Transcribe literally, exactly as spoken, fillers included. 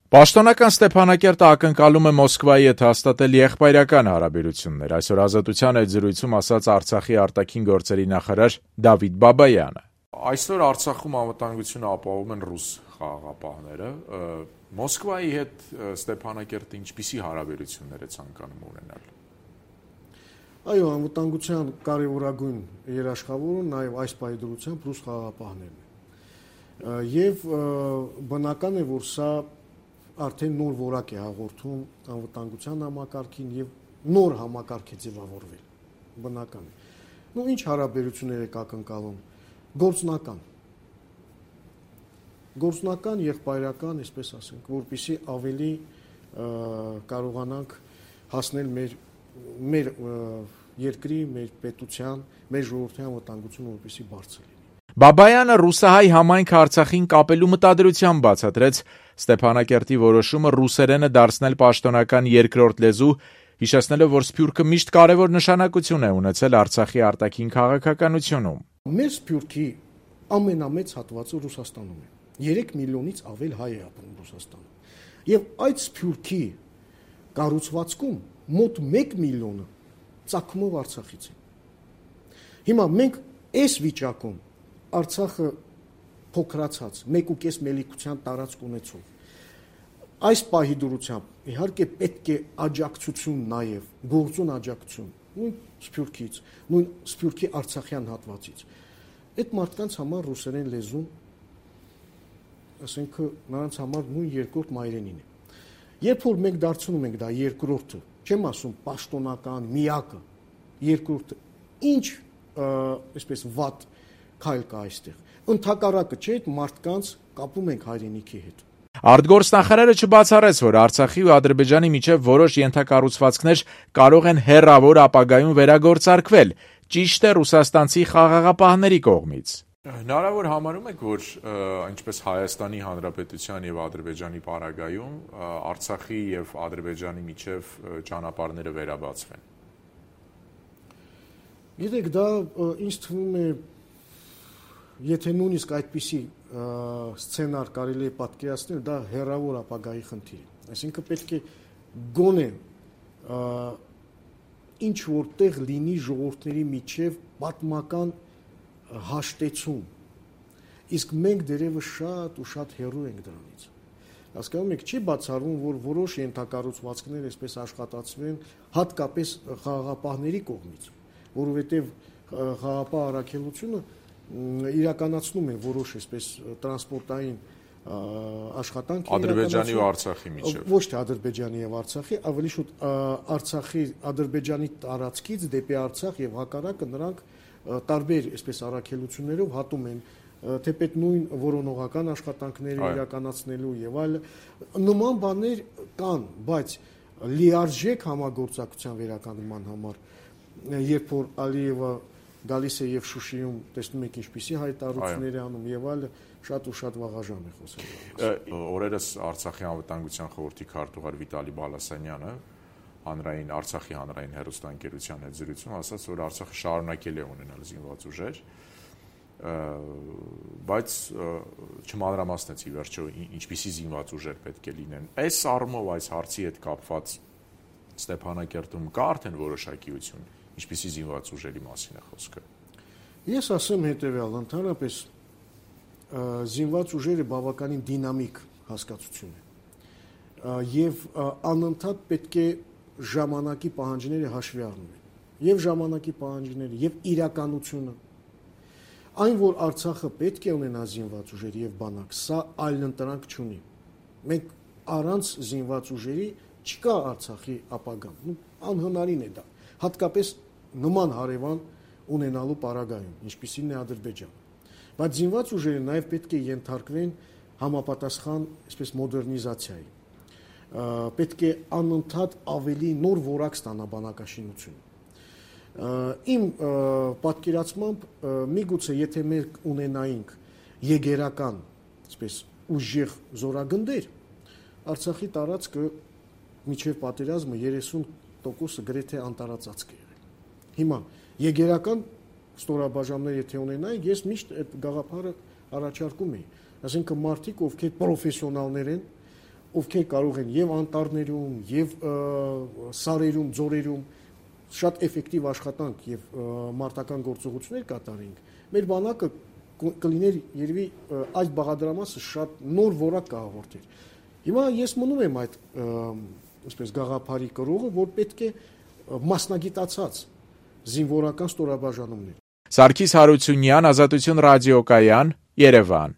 Պաշտոնական Ստեփանակերտը ակնկալում է Մոսկվայի հետ հաստատել եղբայրական հարաբերություններ, այսօր Ազատության այդ զրույցում ասաց Արցախի արտաքին գործերի նախարար Դավիթ Բաբայանը։ Այսօր Արցախում անվտանգությունը ապահովում են ռուս խաղաղապահները, Մոսկվայի հետ Ստեփանակերտը ինչպիսի հարաբերություններ է ցանկանում ունենալ։ Այո, անվտանգության կարևորագույն երաշխավորը նաև այս պայմանությամբ ռուս խաղաղապահներն են։ Եվ բնական է, որ սա արդեն նոր որակ է հաղորդում անվտանգության համակարգին եւ նոր համակարգ է ձևավորվել, բնական է։ Նու ինչ հարաբերություններ եք ակնկալում, գործնական, գործնական եղբայրական, այսպես ասենք, որպեսզի ավելի կարողանանք հասնել մեր մեր երկրի, մեր պետության, մեր ժողովրդի անվտանգությունը որպեսզի բարձր լինի։ Բաբայանը ռուսահայ համայնքը Արցախին կապելու մտադրությամբ բացատրեց Ստեփանակերտի որոշումը ռուսերենը դարձնել պաշտոնական երկրորդ լեզու, հիշեցնելով, որ Սփյուռքը միշտ կարևոր նշանակություն է ունեցել Արցախի արտաքին քաղաքականությունում։ Մեր Սփյուռքի ամենամեծ հատվածը Ռուսաստանում է։ երեք միլիոնից ավել հայ է ապրում Ռուսաստանում։ Եվ այդ Սփյուռքի կառուցվածքում մոտ մեկ միլիոնը ծագումով Արցախից է։ Հիմա մենք այս վիճակում Արցախը փոքրացած մեկ ու կես մելիքության տարածք ունեցող այս պահի դրությամբ իհարկե պետք է աջակցություն նաև գործուն աջակցություն նույն Սփյուռքից, նույն Սփյուռքի Արցախյան հատվածից։ Այդ մարդկանց համար ռուսերեն լեզուն, ասենք նրանց համար նույն երկրորդ մայրենին է։ Երբ որ մենք դարձնում ենք դա երկրորդը, չեմ ասում պաշտոնական միակը, երկրորդը, ինչ այսպես վատ քայլ կա այստեղ։ Ընդհակառակը չէ, այդ մարդկանց կապում ենք հայրենիքի հետ։ Արտգործնախարարը չբացառեց, որ Արցախի ու Ադրբեջանի միջև որոշ ենթակառուցվածքներ կարող են հեռավոր ապագայում վերագործարկվել, ճիշտ է ռուսաստանցի խաղաղապահների կողմից։ Հնարավոր համարում եք, որ ինչպես Հայաստանի Հանրապետության եւ Ադրբեջանի պարագայում Արցախի եւ Ադրբեջանի միջև ճանապարհները վերաբացվեն։ Գիտեք, դա ինձ թվում է, եթե նույնիսկ այդպիսի սցենար կարելի է պատկերացնել, դա հեռավոր ապագայի խնդիր է։ Այսինքն պետք է գոնե ինչ որտեղ լինի ժողովուրդների միջև պատմական հաշտեցում, իսկ մենք դերևս շատ ու շատ հեռու ենք դրանից։ Հասկանում եք, չի բացառվում, որ որոշ ենթակառուցվածքներ այսպես աշխատացվեն հատկապես խաղաղապահների կողմից, որովհետև խաղաղապահ առաքելությունը իրականացնում է որոշ այսպես տրանսպորտային աշխատանք Ադրբեջանի ու Արցախի միջև։ Ոչ թե Ադրբեջանի եւ Արցախի, ավելի շուտ Արցախի, Ադրբեջանի տարածքից դեպի Արցախ եւ հակառակը նրանք տարբեր այսպես առաքելություններով հատում են թեպետ նույն որոնողական աշխատանքները իրականացնելու եւ այլ նման բաներ կան, բայց լիարժեք համագործակցության վերականգնման համար, երբ որ Ալիևը գալիս է եւ Շուշիում տեսնում եք ինչպիսի հայտարարություններ է անում եւ այլ, շատ ու շատ վաղաժամ է խոսել։ Օրերս Արցախի անվտանգության խորհրդի քարտուղար Վիտալի Բալասանյանը հանրային Արցախի հանրային հեռուստաընկերության հետ զրույցում ասաց, որ Արցախը շարունակել է ունենալ զինված ուժեր, բայց չմանրամասնեց ի վերջո ինչպիսի զինված ուժեր պետք է լինեն։ Այս առումով այս հարցի հետ կապված Ստեփանակերտում կա արդեն որոշակիություն, ինչպիսի զինված ուժերի մասին է խոսքը։ Ես ասեմ հետեւյալ, ընդհանրապես զինված ուժերը բավականին դինամիկ հասկացություն է եւ անընդհատ պետք է ժամանակի պահանջները հաշվի առնեն եւ ժամանակի պահանջները եւ իրականությունը այն որ Արցախը պետք է ունենա զինված ուժեր եւ բանակ, սա այլընտրանք չունի։ Մենք առանց զինված ուժերի չկա Արցախի ապագան, անհնարին է դա, հատկապես նման հարևան ունենալու պարագայում, ինչպիսին է Ադրբեջանը։ Բայց զինված ուժերը նաեւ պետք է ենթարկվեն համապատասխան, այսպես մոդեռնիզացիայի։ Պետք է անընդհատ ավելի նոր որակ ստանա բանակաշինությունը։ Իմ պատկերացմամբ միգուցե եթե մենք ունենայինք եգերական, այսպես ուժեղ զորագնդեր, Արցախի տարածքը միջև պատերազմը երեսուն տոկոսը գրեթե անտարածածկ է եղել։ Հիմա եգերական ստորաբաժանումներ եթե ունենայինք, ես միշտ այդ գաղափարը առաջարկում էի, այսինքն մարդիկ, ովքեր պրոֆեսիոնալներ են, ովքեր կարող են եւ անտառներում, եւ սարերում, ձորերում շատ էֆեկտիվ աշխատանք եւ մարտական գործողություններ կատարենք, մեր բանակը կլիներ երևի այս բաղադրամասը շատ նոր որակ կհաղորդեր։ Հիմա ես մնում եմ այդ այսպես գաղափարի կրողը, որ պետք է մասնագիտացած զինվորական ստորաբաժանումներ։ Սարգիս Հարությունյան, Ազատություն ռադիոկայան, Երևան։